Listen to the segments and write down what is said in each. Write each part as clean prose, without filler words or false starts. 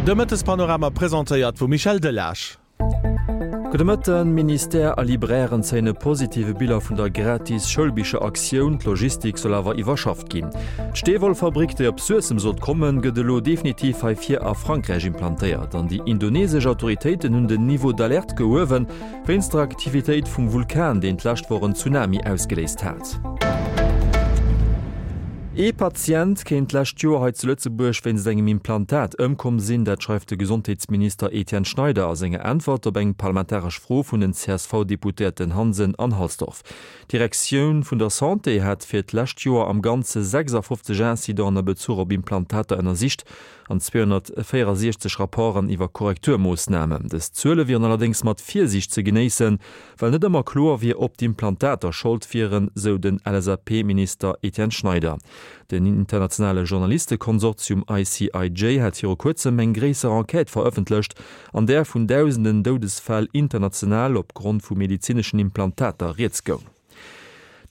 De Mëttespanorama presentéiert vum Michel Delage. Gudde Mëtten, Ministère a Librairen zéien e positive Bilan vun der gratis Schoulbicheraktioun, d'Logistik soll awer iwwerschafft ginn. D'Steewollfabrik, déi op Suessem sollt kommen, gëtt elo definitiv hei vir a Frankräich implantéiert. An déi indonesesch Autoritéiten hunn den Niveau d'alerte gehuewen, Wéinst der Aktivitéit vum Vulkan, deen d'lescht Woch en Tsunami ausgeléist hat. Ee Patient kéint d'lescht Joer hei zu Lëtzebuerg wéinst engem Implantat ëmkomm sinn. Dat schreift de Gesondheetsminister Etienne Schneider a senger Äntwert op eng parlamentaresch Fro vun den CSV-Deputéierten Hansen an Halsdorf. D'Direktioun vun der Santé hat fir d'lescht Joer am Ganze 56 Incidenten a Bezuch op Implantater ënnersicht. an 264 Rapporten iwwer Korrekturmoossnamen. Dës Zuele wieren allerdéngs mat Virsiicht ze genéissen, well net ëmmer kloer wier, ob d'Implantater Schold wieren, sou den LSAP-Minister Etienne Schneider. Den internationale Journalistekonsortium ICIJ hat viru kuerzem eng gréisser Enquête verëffentlecht, an där vun dausenden Doudesfäll international op Grond vu medezineschen Implantater rieds goung.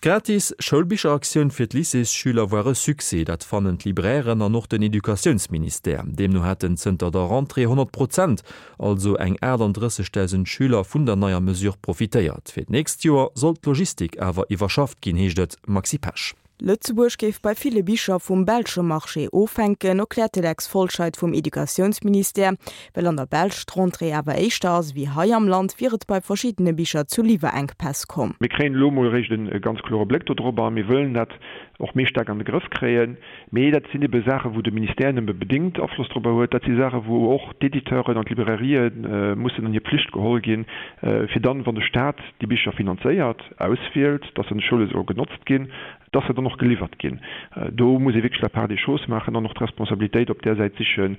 D'gratis Schoulbicheraktioun fir d'Lycéesschüler war e Succès, dat fannen d'Librairen an och den Educatiounsministère. Deemno hätten zënter der Rentrée 100 Prozent, also eng 38.000 Schüler vun der neier Mesure profitéiert. Fir d'nächst Joer soll d'Logistik awer iwwerschafft ginn, heescht et. Maxi Pesch. Lëtzebuerg géif bei ville Bicher vum belsche Marché ofhänken, erkläert de Lex Folscheid vum Educatiounsministère. Well an der Belsch d'Rentrée awer éischter ass ewéi hei am Land, wier et bei verschiddene Bicher zu Liwwerenkpäss komm. Mir kréien elo emol eréischt e ganz klore Bléck dodrop a mir wëllen dat och méi staark an de Grëff kréien. Mee dat sinn ebe Saachen, wou de Ministère nëmme bedéngt Afloss dorobber huet. Dat si Saachen, wou och d'Editeuren an d'Librairië mussen an hir Pflicht geholl ginn, fir dann, wann de Staat déi Bicher finanzéiert, auswielt, dass se an de Schoule solle genotzt ginn, dass se dann och geliwwert ginn. Do muss ee wierklech la part des choses maachen an och d'Responsabilitéit op där Säit sichen,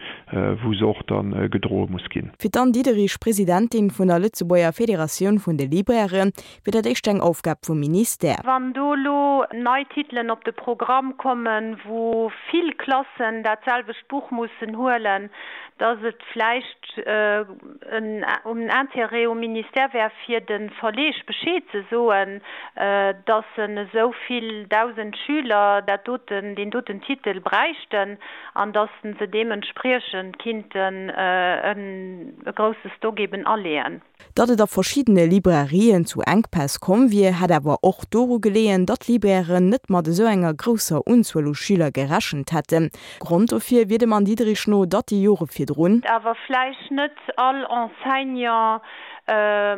wou se och da gedroe muss ginn. Fir d'Anne Diderich, Presidentin vun der Lëtzebuerger Federatioun vun de Librairen, wier dat éischter eng Aufgab vum Ministère. Wann do elo nei Titelen op de Programm kommen, wou vill Klassen dat selwecht Buch mussen huelen, dass et vläicht en Intérêt um Ministère wär, fir de Verleeg Bescheed ze soen, dass en esou vill 1.000 Schüler dat doten, deen doten Titel bräichten an dass se deementspriechend kinnten e grousse Stock eben aleeën. Datt et a verschiddene Librairien zu Enkpäss komm wier, hätt awer och doru geleeën, datt d'Librairen net mat esou enger grousser Unzuel u Schüler gerechent hätten. Grond dofir wier dem Anne Diderich no, datt déi Jore virdrun, Awer vläicht net all Enseignant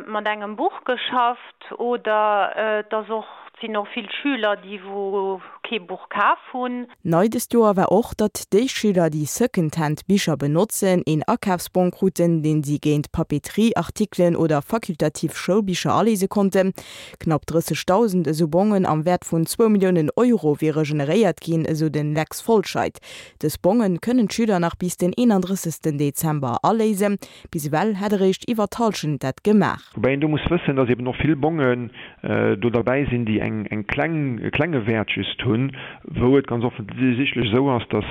mat engem Buch geschafft oder et ass och, et sinn och vill Schüler, déi wou kee Buch kaf hunn. Nei dëst Joer war och, datt déi Schüler, déi Secondhand Bicher benotzen, een Akafsbong kruten, deen si géint Papeterie-Artikelen oder fakultativ Schoulbicher aléise konnten. Knapp 30.000 esou Bongen am Wäert vun zwou Milliounen Euro wiere generéiert ginn, esou den Lex Folscheid. Dës Bongen kënnen d'Schüler nach bis den 31 Dezember aléisen. Bis ewell hätt eréischt iwwer d'Hallschent dat gemaach. Woubäi een do muss wëssen, dass eben och vill Bongen do derbäi sinn, déi eng eng kleng, e klenge Wäert just hunn, wou et ganz offensichtlech esou ass, dass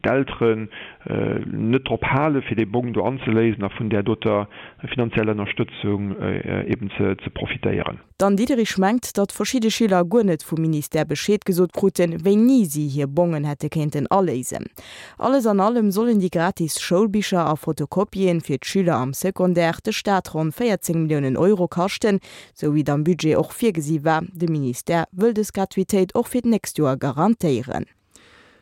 d'Elteren net drop hale fir dee Bong do anzeléisen a vun där doter finanzieller Ënnerstëtzung eben ze profitéieren. D'Anne Diderich mengt, datt verschidde Schüler guer net vum Ministère Bescheed gesot kruten, wéini si hir Bongen hätte kéinten aléisen. Alles an allem sollen déi gratis Schoulbicher a Fotokopien fir d'Schüler am Secondaire de Staat ronn 14 Milliounen Euro kaschten, sou wéi et am Budget och virgesi war. De Ministère wëll dës Gratuitéit och fir d'nächst Joer garantéieren.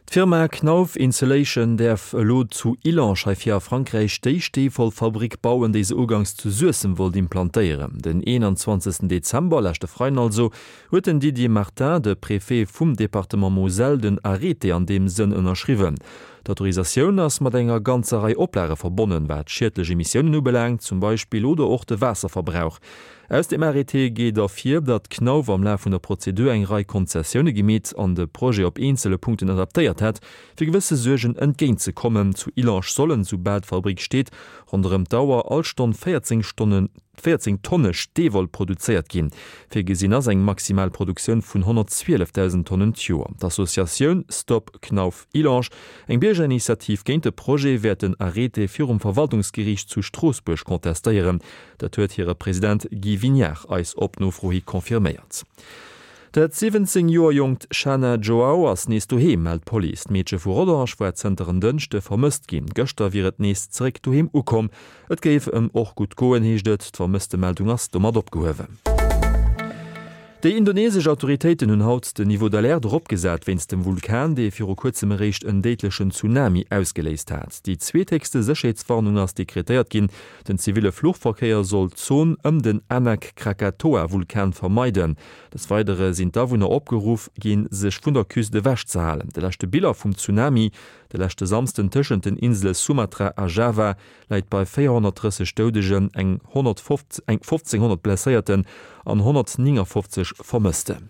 D'Firma Knauf Insulation däerf elo zu Illange hei vir a Frankräich déi Steewollfabrik bauen, déi se ugangs zu Suessem wollt implantéieren. Den 21 Dezember, leschte Freiden also, huet den Didier Martin, de Préfet vum Departement Moselle, den Arrêté an deem Sënn ënnerschriwwen. D'Autorisatioun ass mat enger ganzer Rei Oplage verbonnen, wat schiedlech Emissiounen ubelaangt zum Beispill oder och de Waasserverbrauch. Aus dem Arrêté geet ervir, datt Knauf am Laf vun der Prozedur eng Rei Konzessioune gemeet an de Projet op eenzele Punkten adaptéiert hätt, fir gewësse Suergen entgéint ze kommen. Zu Illange sollen, soubal d'Fabrik steet, ronderëm d'Auer all Stonn 14 Stonnen 14 Tonne Steewoll produzéiert ginn. Virgesinn ass eng maximal Produktioun vun 112.000 Tonnen d'Joer. D'Associatioun Stop Knauf Illange, eng Biergerinitiativ géint de Projet, wäert den Arrêté virum Verwaltungsgeriicht zu Stroossbuerg contestéieren. Dat huet hire President Guy Vignard eis op Nofro hi confirméiert. Dat 17 Joer jonkt Shana Joao ass nees doheem, mellt d'Police. D'Meedche vu Rodange war zënter en Dënschde vermësst ginn. Gëschter wier et nees zeréck doheem ukomm. Et géif ëm och gutt goen, heescht et. D'Vermësstemeldung ass domat opgehuewen. Déi indonesesch Autoritéiten hunn haut den Niveau d'alerte eropgesat wéinst dem Vulkan, dee viru kuerzem eréischt en déidlechen Tsunami ausgeléist hat. Déi zweethéchste Sécherheetswarnung ass dekretéiert ginn. Den ziville Fluchverkéier soll d'Zon ëm den Anak Krakatoa-Vulkan vermeiden. Des Weidere sinn d'Awunner opgeruff ginn, sech vun der Küst ewech ze halen. De leschte Biller vum Tsunami de leschte Samsden tëschent den Insele Sumatra a Java läit bei 430 Doudegen, eng 1500 Blesséierten an 159 Vermëssten.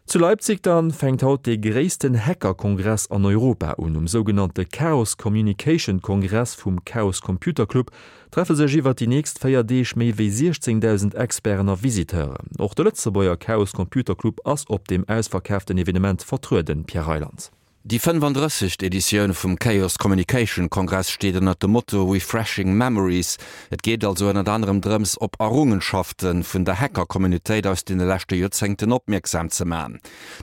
Zu Leipzig dann fänkt haut dee gréissten Hacker-Kongress an Europa un. Um sougenannte Chaos Communication Kongress vum Chaos Computer Club treffe sech iwwert déi nächst 4 Deeg méi wéi 16.000 Experten a Visiteuren. Och de Lëtzebuerger Chaos Computer Club ass op deem ausverkaaften Evenement vertrueden, Pierre Reyland. Déi 35. Editioun vum Chaos Communication Kongress steet ënnert dem Motto Refreshing Memories. Et geet also ënnert anerem drëms, op Errungenschafte vun der Hacker-Communautéit aus deene leschte Joerzéngten opmierksam ze man.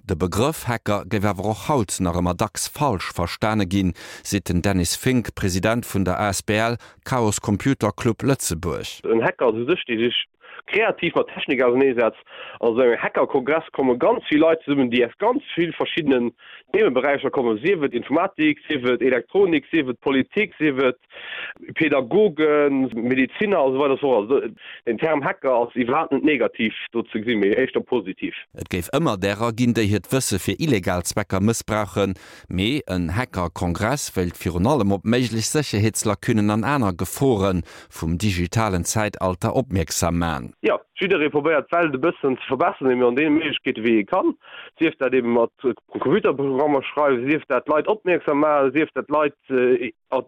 De Begrëff Hacker géif awer och haut nach ëmmer dacks falsch verstane ginn, seet den Dennis Fink, President vun der asbl Chaos Computer Club Lëtzebuerg. En Hacker ass u sech dee sech kreativ mat Technik auserneesetzt. An esou engem Hackerkongress komme ganz vill Leit zesummen, déi aus ganz vill verschiddenen Themeberäicher kommen, sief et Informatik, sief et Elektronik, sief et Politik, sief et Pädagogen, Medeziner a sou weider a sou fort. Also den Term Hacker ass iwwerhaapt net negativ do ze gesinn, mee éischter positiv. Et géif ëmmer därer ginn, déi hiert Wësse fir illegal Zwecker mëssbrauchen, mee en Hacker-Kongress wéilt virun allem op méiglech Sécherheetslacunen an aner Gefore vum digitalen Zäitalter opmierksam man. Jo, jidderee probéiert d'Welt e bëssen ze verbesseren, eben an deene Méiglechkeete wéi e kann, sief dat eben mat Computerprogrammer schreiwen, sief dat d'Leit opmierksam maachen, sief dat d'Leit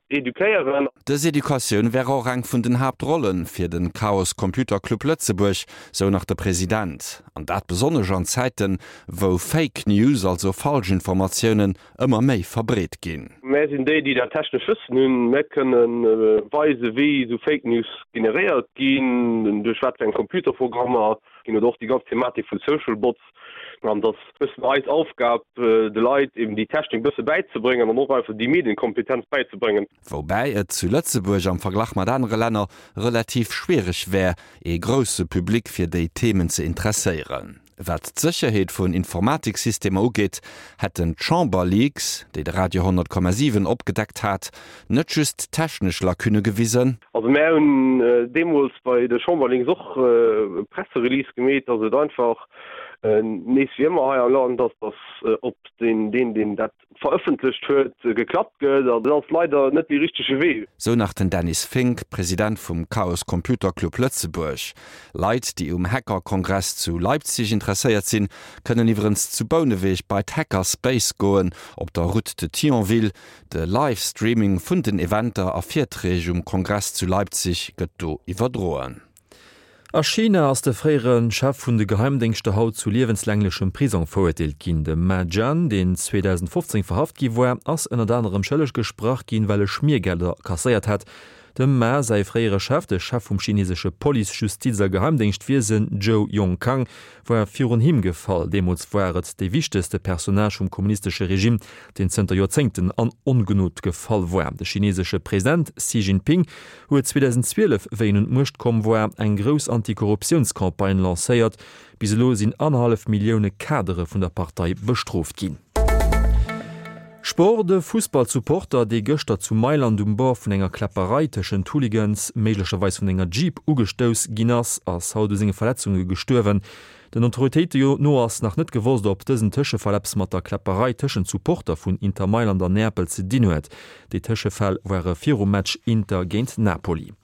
eduquéieren. Dës Educatioun wär och eng vun den Haaptrolle fir de Chaos Computer Club Lëtzebuerg, sou nach de President. An dat besonnesch an Zäiten, wou Fake News, also Falschinformatiounen, ëmmer méi verbreet ginn. Mär sinn déi, déi dat technesch Wëssen hunn. Mär kënne weisen, wéi esou Fake News generéiert ginn, duerch wat fir eng Computerprogrammer ginn oder och déi ganz Thematik vu Social Bots. An et ass e bëssen eis Aufgab, de Leit eben déi Technik e bësse bäizebréngen an och einfach déi Medienkompetenz bäizebréngen. Woubäi et zu Lëtzebuerg am Verglach mat anere Länner relativ schwiereg wär, ee grousse Public fir déi Themen ze interesséieren. Wat d'Sécherheet vun Informatiksystemer ugeet, hätten d'Chamber-Leaks, déi de Radio 100,7 opgedeckt hat, net just technesch Lacunne gewisen. Also mär hunn deemools bei de Chamberleaks och e Presserelease gemeet, datt et einfach nees wéi ëmmer hei am Land ass, datt op deen, deen dat verëffentlecht huet, geklappt gëtt. An dat ass leider net dee richtege Wee. Sou nach den Dennis Fink, President vum Chaos Computer Club Lëtzebuerg. Leit, déi um Hacker-Kongress zu Leipzig interesséiert sinn, kënnen iwwerens zu Bouneweg bei d'Hackerspace goen, op der Route de Thionville. De Live-Streaming vun den Eventer a Virträg um Kongress zu Leipzig gëtt do iwwerdroen. A China ass de fréiere Chef vun de Geheimdéngschter haut zu liewenslänglechem Prisong verurteelt ginn. De Ma Jian, deen 2015 verhaft gi war, ass ënnert anerem schëlleg gesprach ginn, well e Schmiergelder kasséiert hätt. Dem Ma säi fréiere Chef, de Chef vum chinesesche Police-, Justiz a Geheimdéngschtwiesen Zhou Yongkang, war virun him gefall. Deemools war et dee wichtegste Personnage vum kommunistesche Regime, deen zënter Joerzéngten an Ongnod gefall war. De chinesesche President Xi Jinping huet 2012, wéi en un d'Muecht komm war, eng grouss Antikorruptiounscampagne lancéiert. Bis elo sinn annerhallef Millioune Kadere vun der Partei bestrooft ginn. Sport, De Fussballsupporter, dee gëschter zu Mailand um Bord vun enger Kläpperei tëschent Hooligans, méiglecherweis vun enger Jeep, ugestouss ginn ass, ass haut u senge Verletzunge gestuerwen. Den Autoritéite no ass nach net gewosst, ob dësen Tëschefall eppes mat der Kläpperei tëschent Supporter vun Inter Mailand an Neapel ze dinn huet. Déi Tëschefäll ware virum Match Inter géint Napoli.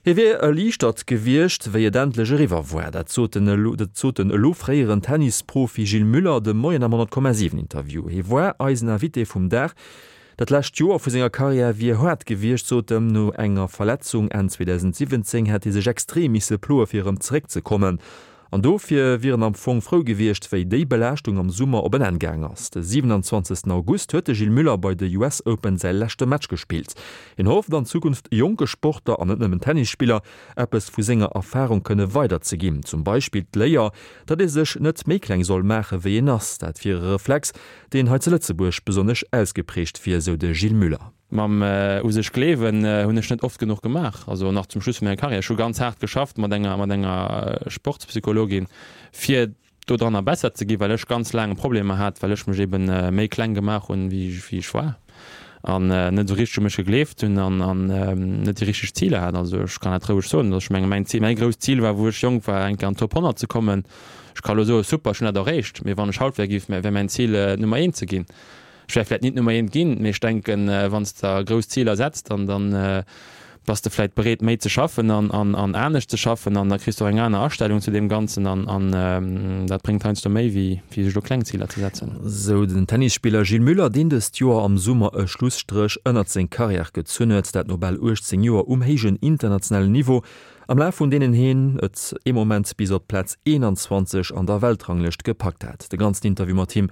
Hie wier erliichtert gewiescht, wéi et endlech eriwwer war. Dat sot den sot den elo fréieren Tennisprofi Gilles Muller de Moien am 100,7 Interview. Hie war eisen Invité vum Dag. Dat lescht Joer vu senger Karriär wier haart gewiescht, sot en. No enger Verletzung Enn 2017 hätt hie sech extrem misse ploe fir erëm zeréckzekommen. An dofir wier en am Fong frou gewiescht, wéi déi Belaaschtung am Summer op en Enn gaang ass. De 27 August huet de Gilles Muller bei de US Open säi leschte Match gespillt. Hien hofft an Zukunft jonke Sportler, an net nëmmen Tennisspiller, eppes vu senger Erfarung kënne weiderzeginn. Zum Beispill d'Léier, datt ee sech net méi kleng soll maache wéi een ass. Dat wier e Reflex, deen hei zu Lëtzebuerg besonnesch ausgeprägt wier, sou de Gilles Muller. Mam u sech gleewen hunn ech net oft genuch gemaach, also nach zum Schluss vun menger Karriär. Ech hu ganz haart geschafft mat enger mat enger Sportspsychologin, fir dodranner besser ze ginn, well ech ganz laang Problemer hat, well ech mech eben méi kleng gemaach hunn, wéi wéi ech war an net esou richteg u mech gegleeft hunn an an net déi richteg Ziler hat. Also ech kann dat roueg soen, dass ech menge mäin Zil, mäi grousst Zil war, wou ech jonk war, eng Kéier an d'Top 100 ze kommen. Ech ka elo soen, super, ech hunn dat erreecht, mee wann ech haut wär, géif wär mäin Zil Nummer eent ze ginn. Ech wär vläit nit Nummer eent ginn, mee ech denken, wann s de der grouss Ziler setz, dann dann bass de vläit bereet méi ze schaffen an an an anescht ze schaffen an da kriss de och eng aner Astellung zu deem Ganzen an an dat bréngt heiansdo méi wéi wéi sech elo kleng Ziler ze setzen. Sou den Tennisspiller Gilles Muller, deen dëst Joer am Summer e Schlusstréch ënnert seng Karriär gezunn huet, dat no bal 18 Joer um héijen internationalen Niveau, am Laf vun deenen hien et ee Moment bis op d'Plaz 21 an der Weltranglëscht gepackt hat. De ganzen Interview mat him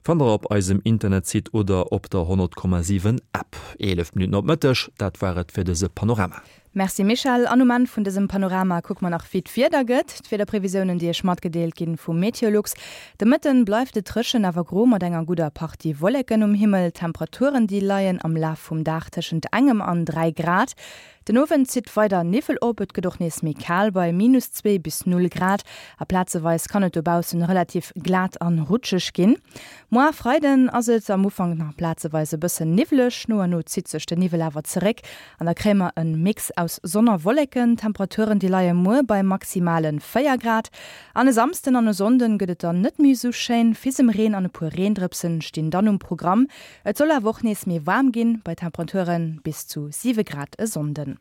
Fannt der op eisem Internetsite oder op der 100,7 App. 11 Minutten op Mëtteg, dat war et fir dëse Panorama. Merci Michèle. An um Enn vun dësem Panorama kucke mer nach wéi d'Wieder gëtt. D'Wiederprevisiounen déi iech matgedeelt ginn vu Meteolux. De Mëtten bleift et dréchen awer gro mat enger gudder Partie Wolleken um Himmel. D'Temperaturen déi leien am Laf vum Dag tëschent engem an 3 Grad. Den Owend zitt weider Niwwel op, et gëtt och nees méi kal bei minus 2 bis 0 Grad a plazeweis kann et dobaussen relativ glat an rutscheg ginn. Moar Freiden ass et am Ufank nach plazeweis e bëssen niwwleg, no a no zitt sech de Niwwel awer zeréck an da kréie mer en Mix aus Sonn a Wolleken. D'Temperaturen déi leie muer bei maximale 4 Grad an e Samsden an e Sonnden gëtt et dann net méi esou schéin, Fisemreen an e puer Reendrëpsen stinn dann um Programm. Et soll awer och nees méi waarm ginn, bei Temperature bis zu 7 Grad e Sonnden.